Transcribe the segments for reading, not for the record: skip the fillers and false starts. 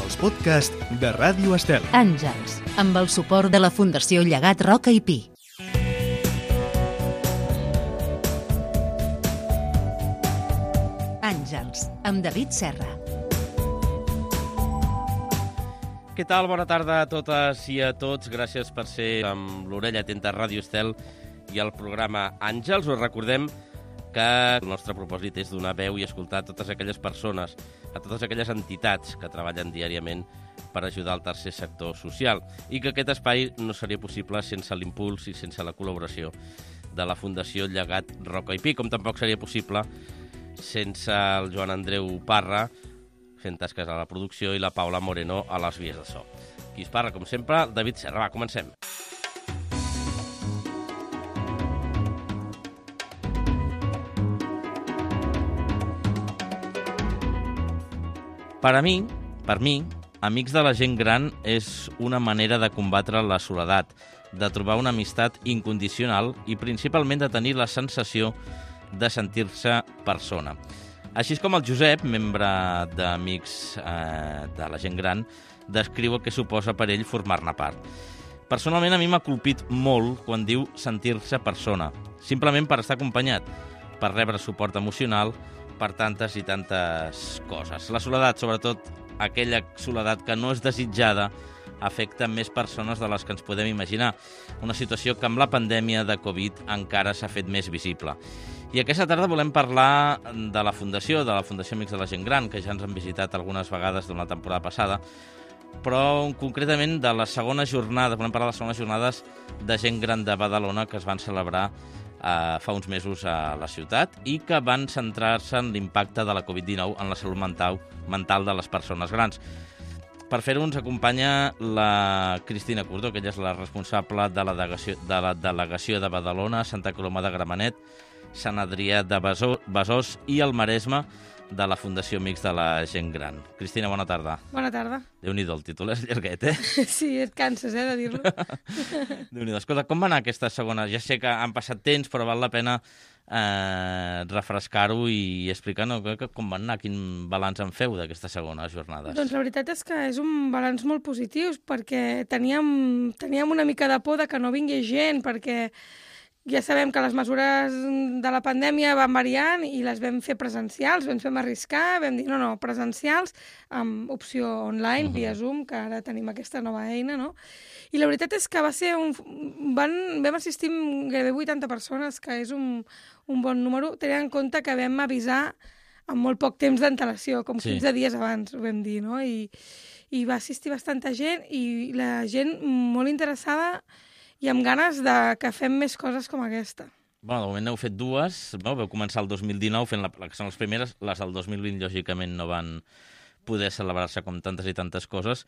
els podcasts de Ràdio Estel. Àngels, amb el suport de la Fundació Llegat Roca i Pi. Àngels, amb David Serra. Què tal? Bona tarda a totes i a tots. Gràcies per ser amb l'orella atenta a Ràdio Estel i al programa Àngels. Us recordem que el nostre propòsit és donar veu i escoltar a totes aquelles persones, a totes aquelles entitats que treballen diàriament per ajudar al tercer sector social i que aquest espai no seria possible sense l'impuls i sense la col·laboració de la Fundació Llegat Roca i Pi, com tampoc seria possible sense el Joan Andreu Parra fent tasques a la producció i la Paula Moreno a les vies de so. Qui es parla, com sempre, David Serra. Va, comencem. Per mi, Amics de la gent gran és una manera de combatre la soledat, de trobar una amistat incondicional i principalment de tenir la sensació de sentir-se persona. Així és com el Josep, membre d'Amics de la gent gran, descriu el que suposa per ell formar-ne part. Personalment, a mi m'ha colpit molt quan diu sentir-se persona, simplement per estar acompanyat, per rebre suport emocional, per tantes i tantes coses. La soledat, sobretot aquella soledat que no és desitjada, afecta més persones de les que ens podem imaginar. Una situació que amb la pandèmia de Covid encara s'ha fet més visible. I aquesta tarda volem parlar de la Fundació Amics de la Gent Gran, que ja ens han visitat algunes vegades durant la temporada passada, però concretament de les segones jornades, volem parlar de les segones jornades de gent gran de Badalona que es van celebrar fa uns mesos a la ciutat i que van centrar-se en l'impacte de la Covid-19 en la salut mental de les persones grans. Per fer-ho ens acompanya la Cristina Cordó, que ella és la responsable de la delegació de Badalona, Santa Coloma de Gramenet, Sant Adrià de Besòs i el Maresme de la Fundació Amics de la Gent Gran. Cristina, bona tarda. Bona tarda. Déu-n'hi-do, el títol és llarguet, eh? Sí, et canses, de dir-lo. Déu-n'hi-do. Escolta, com va anar aquesta segona? Ja sé que han passat temps, però val la pena refrescar-ho i explicar com van anar, quin balanç en feu d'aquestes segones jornades. Doncs la veritat és que és un balanç molt positiu, perquè teníem una mica de por de que no vingui gent, perquè ja sabem que les mesures de la pandèmia van variant i les vam fer presencials, ens vam arriscar, vam dir no, presencials, amb opció online, via Zoom, que ara tenim aquesta nova eina, no? I la veritat és que va ser vam assistir amb gairebé 80 persones, que és un bon número, tenint en compte que vam avisar amb molt poc temps d'antelació, com 15 dies abans, ho vam dir, no? I va assistir bastanta gent i la gent molt interessada i amb ganes de que fem més coses com aquesta. Bueno, de moment n'heu fet dues, no? Vau començar el 2019 fent que són les primeres, les del 2020 lògicament no van poder celebrar-se com tantes i tantes coses,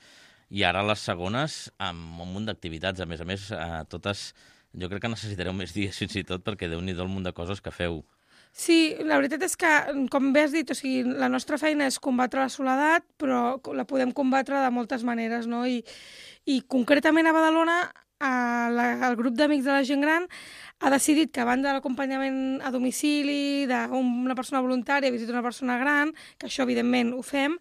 i ara les segones amb un munt d'activitats, a més, totes, jo crec que necessitareu més dies fins i tot, perquè Déu-n'hi-do el munt de coses que feu. Sí, la veritat és que, com bé has dit, o sigui, la nostra feina és combatre la soledat, però la podem combatre de moltes maneres, no? I concretament a Badalona, el grup d'Amics de la Gent Gran ha decidit que a banda de l'acompanyament a domicili, d'una persona voluntària visita una persona gran, que això evidentment ho fem,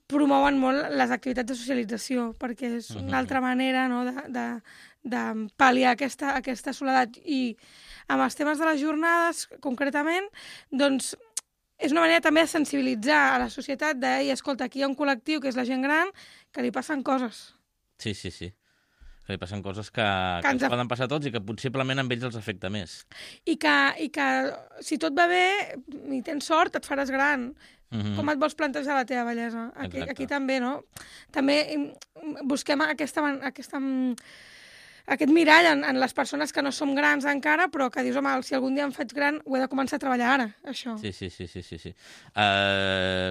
promouen molt les activitats de socialització, perquè és una altra manera, no, de pal·liar aquesta soledat. I amb els temes de les jornades, concretament, doncs és una manera també de sensibilitzar a la societat escolta, aquí hi ha un col·lectiu que és la gent gran, que li passen coses. Sí. Que li passen coses que ens poden passar a tots i que possiblement amb ells els afecta més. I que si tot va bé i tens sort, et faràs gran. Com et vols plantejar la teva bellesa? Aquí també, no? També busquem aquest mirall en les persones que no som grans encara, però que dius, home, si algun dia em faig gran, ho he de començar a treballar ara, això. Sí.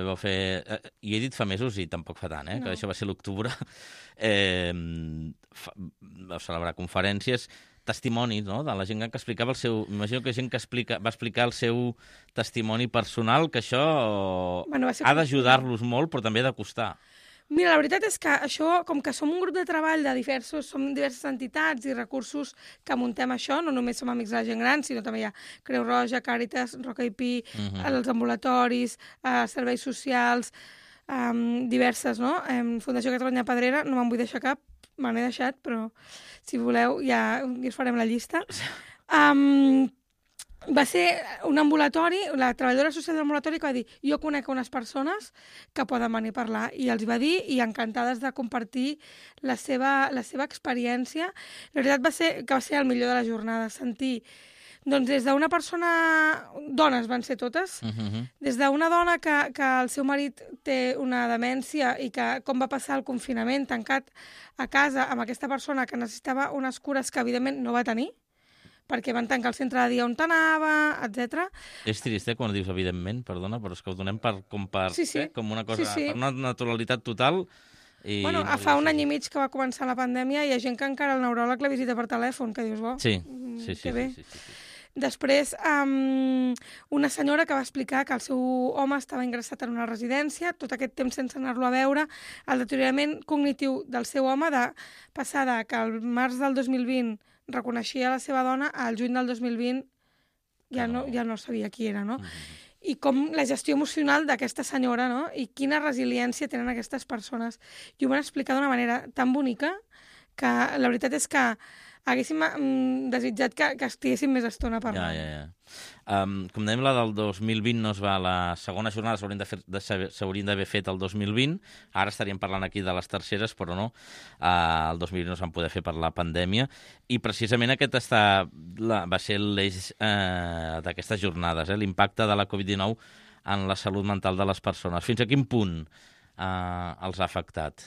Vau fer... I he dit fa mesos i tampoc fa tant, que això va ser l'octubre. Vau celebrar conferències, testimonis, no?, de la gent que explicava el seu... M'imagino que gent que va explicar el seu testimoni personal, que això ha d'ajudar-los molt, però també ha de costar. Mira, la veritat és que això, com que som un grup de treball de som diverses entitats i recursos que muntem això, no només som Amics de la Gent Gran, sinó també hi ha Creu Roja, Càritas, Roca i Pi, els ambulatoris, serveis socials, diverses, no? Fundació Catalunya Pedrera, no me'n vull deixar cap, me n'he deixat, però si voleu ja us farem la llista. Va ser un ambulatori, la treballadora social de l'ambulatori que va dir jo conec unes persones que poden venir a parlar, i els va dir, i encantades de compartir la seva experiència. La veritat va ser el millor de la jornada, sentir doncs des d'una persona, dones van ser totes, des d'una dona que el seu marit té una demència i que com va passar el confinament tancat a casa amb aquesta persona que necessitava unes cures que evidentment no va tenir, perquè van tancar el centre de dia on t'anava, etc. És trist, quan dius evidentment, perdona, però és que ho donem com una cosa, per una naturalitat total. Fa un any i mig que va començar la pandèmia i hi ha gent que encara el neuròleg la visita per telèfon, que dius, Sí. Després, una senyora que va explicar que el seu home estava ingressat en una residència, tot aquest temps sense anar-lo a veure, el deteriorament cognitiu del seu home de passar que al març del 2020 reconeixia la seva dona, al juny del 2020 ja no sabia qui era, no? I com la gestió emocional d'aquesta senyora, no? I quina resiliència tenen aquestes persones. I ho van explicar d'una manera tan bonica que la veritat és que haguéssim desitjat que estiguéssim més estona parlant. Com dèiem, la del 2020 no es va, la segona jornada s'haurien d'haver fet el 2020, ara estaríem parlant aquí de les terceres, però no, el 2020 no es van poder fer per la pandèmia, i precisament aquest va ser l'eix d'aquestes jornades, l'impacte de la Covid-19 en la salut mental de les persones. Fins a quin punt els ha afectat?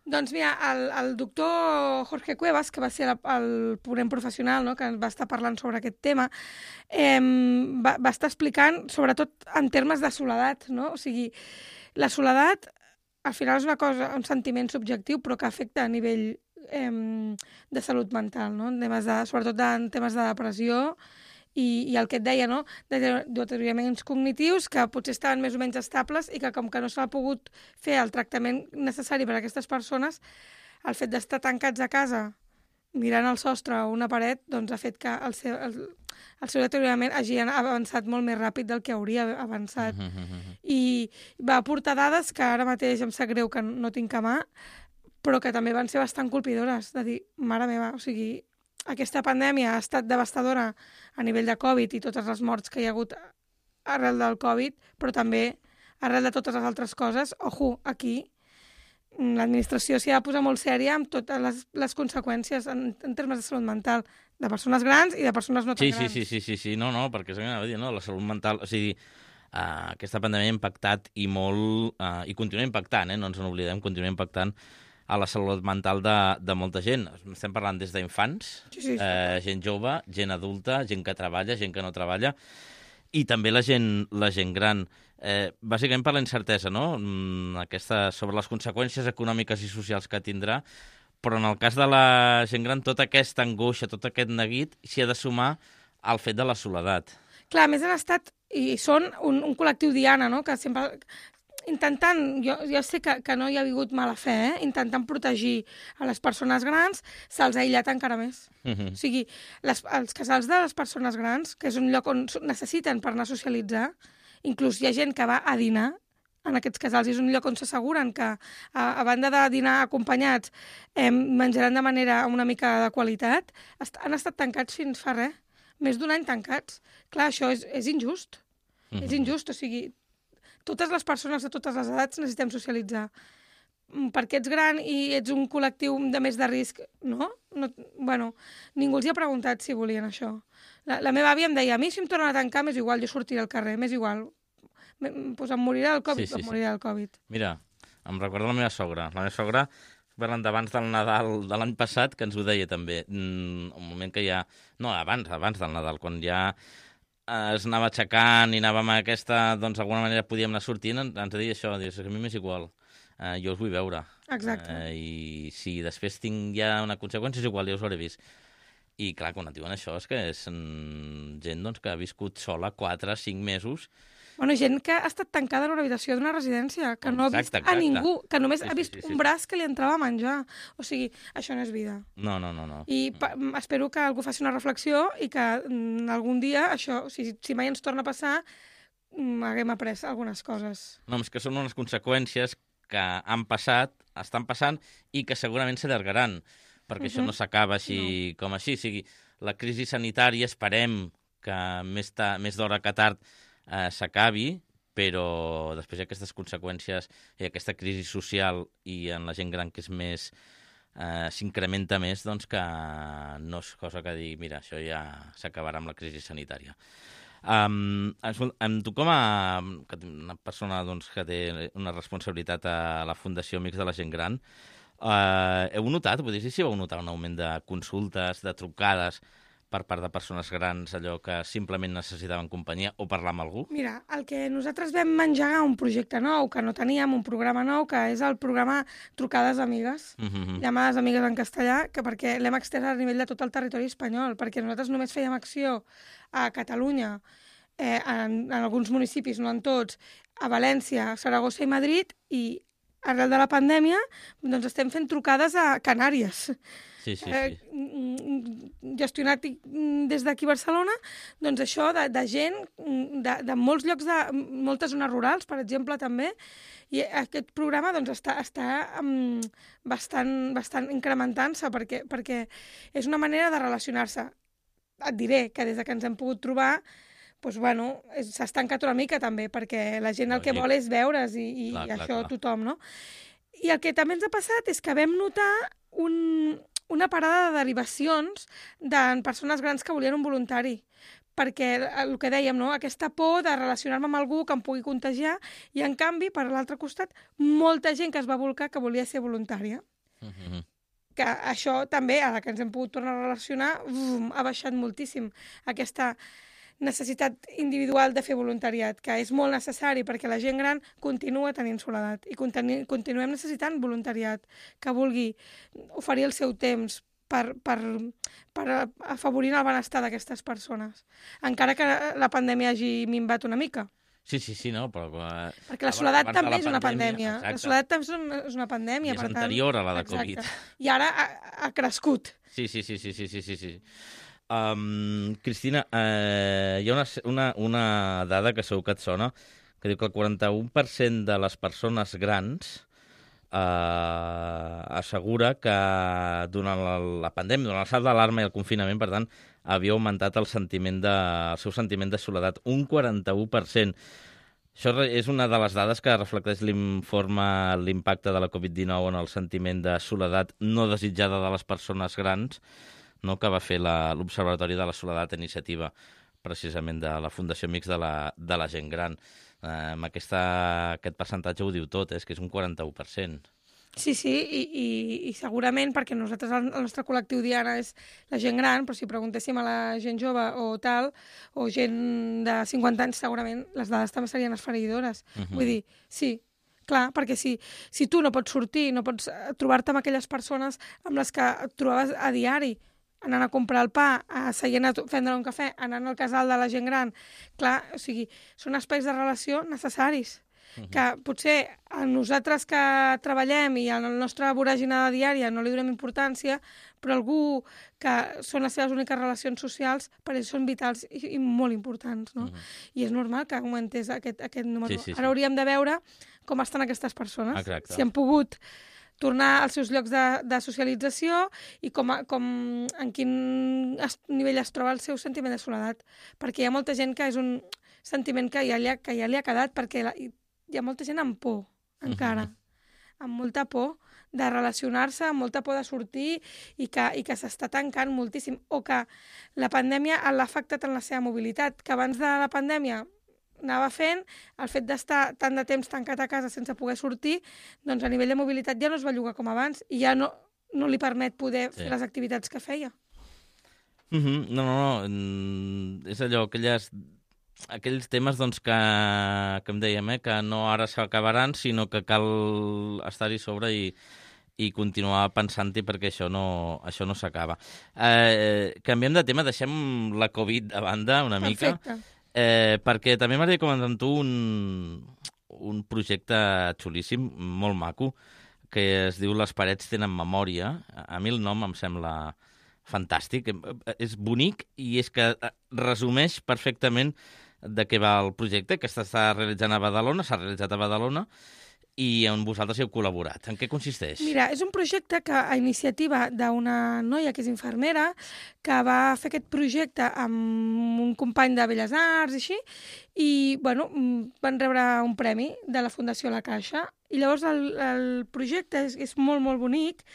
Doncs mira, el doctor Jorge Cuevas, que va ser el ponent professional, no?, que va estar parlant sobre aquest tema, va estar explicant, sobretot en termes de soledat, no? O sigui, la soledat al final és una cosa, un sentiment subjectiu, però que afecta a nivell de salut mental, no? Sobretot en temes de depressió, i el que et deia, no?, de deterioraments cognitius que potser estaven més o menys estables i que com que no s'ha pogut fer el tractament necessari per a aquestes persones, el fet d'estar tancats a casa mirant al sostre o una paret, doncs ha fet que el seu deteriorament hagi avançat molt més ràpid del que hauria avançat. I va aportar dades que ara mateix em sap greu que no tinc a mà, però que també van ser bastant colpidores, de dir, mare meva, o sigui, aquesta pandèmia ha estat devastadora a nivell de Covid i totes les morts que hi ha hagut arrel del Covid, però també arrel de totes les altres coses. Ojo, aquí l'administració s'hi ha de posar molt sèria amb totes les conseqüències en termes de salut mental de persones grans i de persones no tan grans. Sí. No, perquè és que la salut mental... O sigui, aquesta pandèmia ha impactat i molt... I continua impactant, no ens n'oblidem, continua impactant a la salut mental de molta gent. Estem parlant des d'infants, gent jove, gent adulta, gent que treballa, gent que no treballa, i també la gent gran. Bàsicament per la incertesa, no?, sobre les conseqüències econòmiques i socials que tindrà, però en el cas de la gent gran, tota aquesta angoixa, tot aquest neguit, s'hi ha de sumar al fet de la soledat. Clar, a més han estat, i són un col·lectiu diana, no?, que sempre... intentant, jo sé que no hi ha hagut mala fe, intentant protegir a les persones grans, se'ls ha aïllat encara més. O sigui, els casals de les persones grans, que és un lloc on necessiten per anar a socialitzar, inclús hi ha gent que va a dinar en aquests casals, és un lloc on s'asseguren que, a banda de dinar acompanyats, menjaran de manera una mica de qualitat, han estat tancats fins fa res, més d'un any tancats. Clar, això és injust. És injust, o sigui... Totes les persones de totes les edats necessitem socialitzar. Perquè ets gran i ets un col·lectiu de més de risc, no? Bueno, ningú els hi ha preguntat si volien això. La meva àvia em deia, a mi si em tornen a tancar m'és igual, jo sortiré al carrer, m'és igual. Pues em morirà del Covid, em morirà del Covid. Mira, em recorda la meva sogra. La meva sogra, parlant d'abans del Nadal de l'any passat, que ens ho deia també. Un moment que ja... No, abans del Nadal, quan ja... es anava aixecant i anàvem a aquesta, doncs d'alguna manera podíem anar sortint, ens deia això, dius, a mi m'és igual, jo us vull veure. Exacte. I si després tinc ja una conseqüència, és igual, ja us ho hauré vist. I clar, quan et diuen això, és que és gent doncs, que ha viscut sola 4 o 5 mesos. Bueno, gent que ha estat tancada en una habitació d'una residència, que no ha vist a ningú, que només ha vist un braç que li entrava a menjar. O sigui, això no és vida. No. I espero que algú faci una reflexió i que algun dia això, si mai ens torna a passar, haguem après algunes coses. No, és que són unes conseqüències que han passat, estan passant i que segurament s'allargaran, perquè això no s'acaba així com així. O sigui, la crisi sanitària esperem que més d'hora que tard s'acabi, però després hi ha aquestes conseqüències i aquesta crisi social i en la gent gran que és més s'incrementa més, doncs que no és cosa que dir, mira, això ja s'acabarà amb la crisi sanitària. Amb tu com a una persona doncs, que té una responsabilitat a la Fundació Amics de la Gent Gran, heu notat, vull dir, si vau notar un augment de consultes, de trucades per part de persones grans, allò que simplement necessitaven companyia o parlar amb algú? Mira, el que nosaltres vam engegar un projecte nou, que no teníem, un programa nou, que és el programa Trucades Amigues, llamades amigues en castellà, que perquè l'hem extès a nivell de tot el territori espanyol, perquè nosaltres només fèiem acció a Catalunya, en alguns municipis, no en tots, a València, Saragossa i Madrid, i arrel de la pandèmia doncs estem fent trucades a Canàries. Sí. Gestionat des d'aquí a Barcelona, doncs això de gent de molts llocs, de moltes zones rurals, per exemple, també, i aquest programa doncs, està bastant incrementant-se perquè és una manera de relacionar-se. Et diré que des que ens hem pogut trobar doncs, bueno, s'ha estancat una mica també, perquè la gent el que vol és veure's i això tothom, no? I el que també ens ha passat és que vam notar una parada de derivacions de persones grans que volien un voluntari, perquè el que dèiem, no? Aquesta por de relacionar-me amb algú que em pugui contagiar, i en canvi, per l'altre costat, molta gent que es va volcar que volia ser voluntària. Que això també, ara que ens hem pogut tornar a relacionar, ha baixat moltíssim aquesta necessitat individual de fer voluntariat, que és molt necessari perquè la gent gran continua tenint soledat i continuem necessitant voluntariat que vulgui oferir el seu temps per afavorir el benestar d'aquestes persones, encara que la pandèmia hagi minvat una mica. Sí, no, però... Perquè la soledat també és una pandèmia. Exacte. La soledat també és una pandèmia. I és anterior a la de Covid. I ara ha crescut. Sí. Cristina, hi ha una dada que segur que et sona, que diu que el 41% de les persones grans assegura que durant la pandèmia, durant el salt d'alarma i el confinament, per tant, havia augmentat el seu sentiment de soledat, un 41%. Això és una de les dades que reflecteix l'informe l'impacte de la Covid-19 en el sentiment de soledat no desitjada de les persones grans, no, que va fer l'Observatori de la Soledat, iniciativa precisament de la Fundació Amics de la Gent Gran. Amb aquest percentatge ho diu tot, és que és un 41%. Sí, i segurament perquè nosaltres, el nostre col·lectiu diana és la gent gran, però si preguntéssim a la gent jove o tal, o gent de 50 anys, segurament les dades també serien esfereïdores. Vull dir, sí, clar, perquè si tu no pots sortir, no pots trobar-te amb aquelles persones amb les que et trobaves a diari, anant a comprar el pa, seient a prendre un cafè, anant al casal de la gent gran, clar, o sigui, són espais de relació necessaris. Que potser a nosaltres que treballem i a la nostra voràgina diària no li donem importància, però algú que són les seves úniques relacions socials, per ells són vitals i molt importants, no? I és normal que augmentés aquest número. Sí. Ara hauríem de veure com estan aquestes persones, exacte. Si han pogut tornar als seus llocs de socialització i en quin nivell es troba el seu sentiment de soledat. Perquè hi ha molta gent que és un sentiment que ja li ha quedat, perquè hi ha molta gent amb por, encara, amb molta por de relacionar-se, amb molta por de sortir i que s'està tancant moltíssim, o que la pandèmia l'ha afectat en la seva mobilitat, que abans de la pandèmia anava fent, el fet d'estar tant de temps tancat a casa sense poder sortir, doncs a nivell de mobilitat ja no es belluga com abans i ja no li permet poder fer les activitats que feia. No, és allò, aquells temes doncs, que em dèiem, que no ara s'acabaran, sinó que cal estar-hi sobre i continuar pensant-hi perquè això no s'acaba. Canviem de tema, deixem la Covid a banda una mica. Perfecte. Perquè també m'agradaria comentar amb tu un projecte xulíssim, molt maco, que es diu Les parets tenen memòria. A mi el nom em sembla fantàstic. És bonic i és que resumeix perfectament de què va el projecte, que s'està realitzant a Badalona, s'ha realitzat a Badalona, i on vosaltres heu col·laborat. En què consisteix? Mira, és un projecte que a iniciativa d'una noia que és infermera, que va fer aquest projecte amb un company de Belles Arts i així, i bueno, van rebre un premi de la Fundació La Caixa. I llavors el projecte és molt, molt bonic.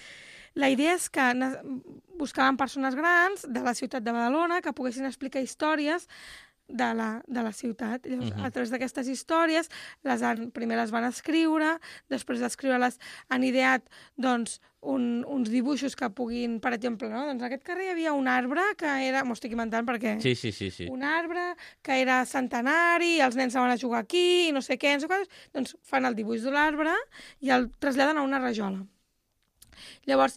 La idea és que buscaven persones grans de la ciutat de Badalona que poguessin explicar històries de la ciutat. Llavors, a través d'aquestes històries, primer les van escriure, després d'escriure-les han ideat doncs, uns dibuixos que puguin, per exemple, no? Doncs en aquest carrer hi havia un arbre que era, m'ho estic inventant perquè... Sí. Un arbre que era centenari, els nens van a jugar aquí, i no sé què, doncs fan el dibuix de l'arbre i el traslladen a una rajola. Llavors,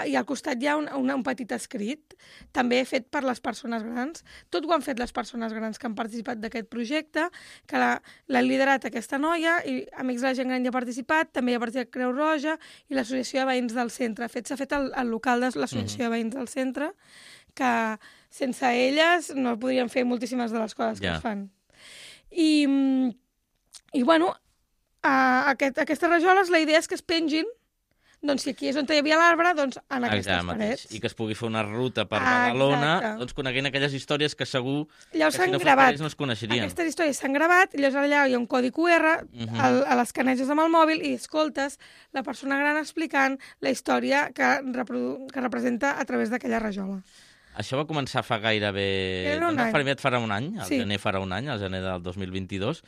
i al costat hi ha un petit escrit, també fet per les persones grans. Tot ho han fet les persones grans que han participat d'aquest projecte, que l'ha liderat aquesta noia, i Amics de la Gent Gran hi ha participat, també hi ha participat Creu Roja i l'Associació de Veïns del Centre. S'ha fet al local de l'Associació de Veïns del Centre, que sense elles no podrien fer moltíssimes de les coses que es fan. I bueno, aquestes rajoles, la idea és que es pengin. Doncs si aquí és on hi havia l'arbre, doncs en aquestes parets. I que es pugui fer una ruta per Badalona, doncs coneguent aquelles històries que segur llavors que si no fos per ells no es coneixerien. Aquestes històries s'han gravat, i llavors allà hi ha un codi QR, a les caneges amb el mòbil, i escoltes la persona gran explicant la història que representa a través d'aquella rajola. Això va començar fa gairebé... Farà un any, al gener farà un any, al gener del 2022,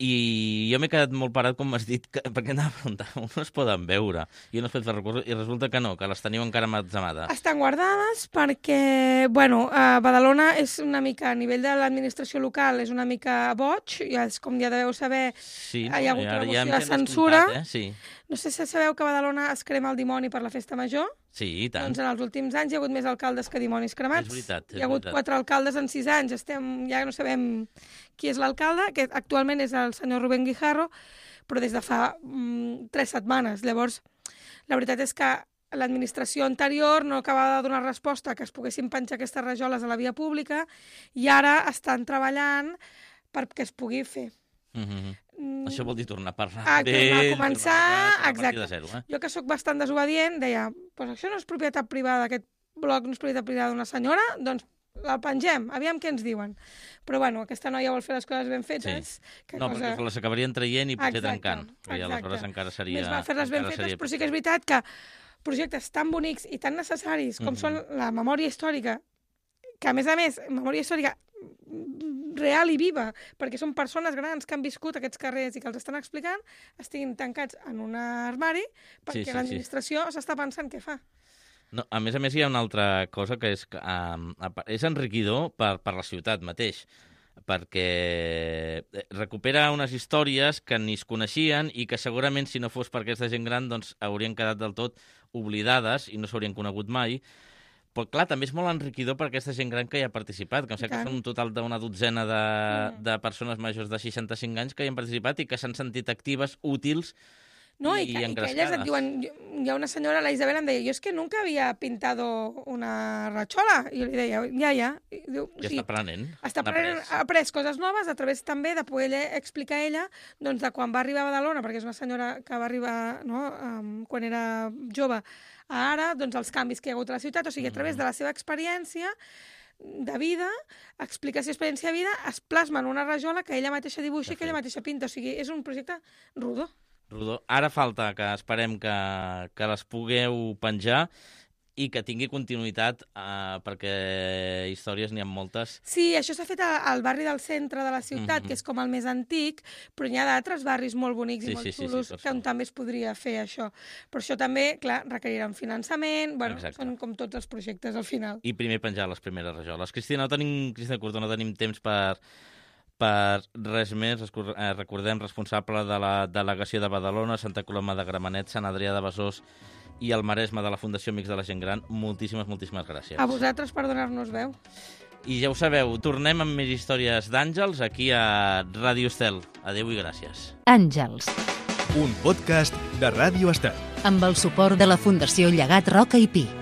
i jo m'he quedat molt parat, com m'has dit, perquè anava a preguntar, on es poden veure? I no es pot fer recursos, i resulta que no, que les teniu encara emmagatzemades. Estan guardades perquè, bueno, Badalona és una mica, a nivell de l'administració local, és una mica boig, com ja deveu saber, hi ha hagut una moció de censura. No sé si sabeu que a Badalona es crema el dimoni per la festa major. Sí, i tant. Doncs en els últims anys hi ha hagut més alcaldes que dimonis cremats. És veritat. Hi ha hagut 4 alcaldes en 6 anys. Ja no sabem qui és l'alcalde, que actualment és el senyor Rubén Guijarro, però des de fa 3 setmanes. Llavors, la veritat és que l'administració anterior no acabava de donar resposta que es poguessin penjar aquestes rajoles a la via pública, i ara estan treballant perquè es pugui fer. Això vol dir tornar a parlar. Tornar a començar, exacte. De zero, Jo, que sóc bastant desobedient, deia, pues això no és propietat privada, aquest bloc no és propietat privada d'una senyora, doncs la pengem, aviam què ens diuen. Però bueno, aquesta noia vol fer les coses ben fetes. Perquè les acabarien traient i potser trencant. I aleshores encara seria... Més val fer-les ben fetes, però sí que és veritat que projectes tan bonics i tan necessaris com són la memòria històrica, que a més, memòria històrica real i viva, perquè són persones grans que han viscut aquests carrers i que els estan explicant, estiguin tancats en un armari perquè l'administració s'està pensant què fa. No, a més, hi ha una altra cosa que és enriquidor per la ciutat mateix, perquè recupera unes històries que ni es coneixien i que segurament, si no fos per aquesta gent gran, doncs haurien quedat del tot oblidades i no s'haurien conegut mai. Però, clar, també és molt enriquidor per aquesta gent gran que hi ha participat, que em sembla que són un total d'una dotzena de persones majors de 65 anys que hi han participat i que s'han sentit actives, útils i engrescades. I que elles et diuen... Hi ha una senyora, la Isabel, em deia, jo és que nunca havia pintado una rachola. I jo li deia, ja. Ja està aprenent. Ha après coses noves a través també de poder explicar ella doncs, de quan va arribar a Badalona, perquè és una senyora que va arribar quan era jove, a ara, doncs els canvis que hi ha hagut a la ciutat, o sigui, a través de la seva experiència de vida, explicació d'experiència de vida, es plasma en una rajola que ella mateixa dibuixa i que ella mateixa pinta. O sigui, és un projecte rodó. Ara falta que esperem que les pugueu penjar i que tingui continuïtat, perquè històries n'hi ha moltes. Sí, això s'ha fet al barri del centre de la ciutat, que és com el més antic, però n'hi ha d'altres barris molt bonics i molt xulos on també es podria fer això. Però això també, clar, requerirà un finançament, són com tots els projectes al final. I primer penjar les primeres rajoles. Cristina Curto, no tenim temps per res més. Recordem, responsable de la delegació de Badalona, Santa Coloma de Gramenet, Sant Adrià de Besòs i el Maresme de la Fundació Amics de la Gent Gran. Moltíssimes gràcies. A vosaltres per donar-nos veu. I ja ho sabeu, tornem amb més històries d'Àngels aquí a Ràdio Estel. Adéu i gràcies. Àngels. Un podcast de Ràdio Estel. Amb el suport de la Fundació Llegat Roca i Pi.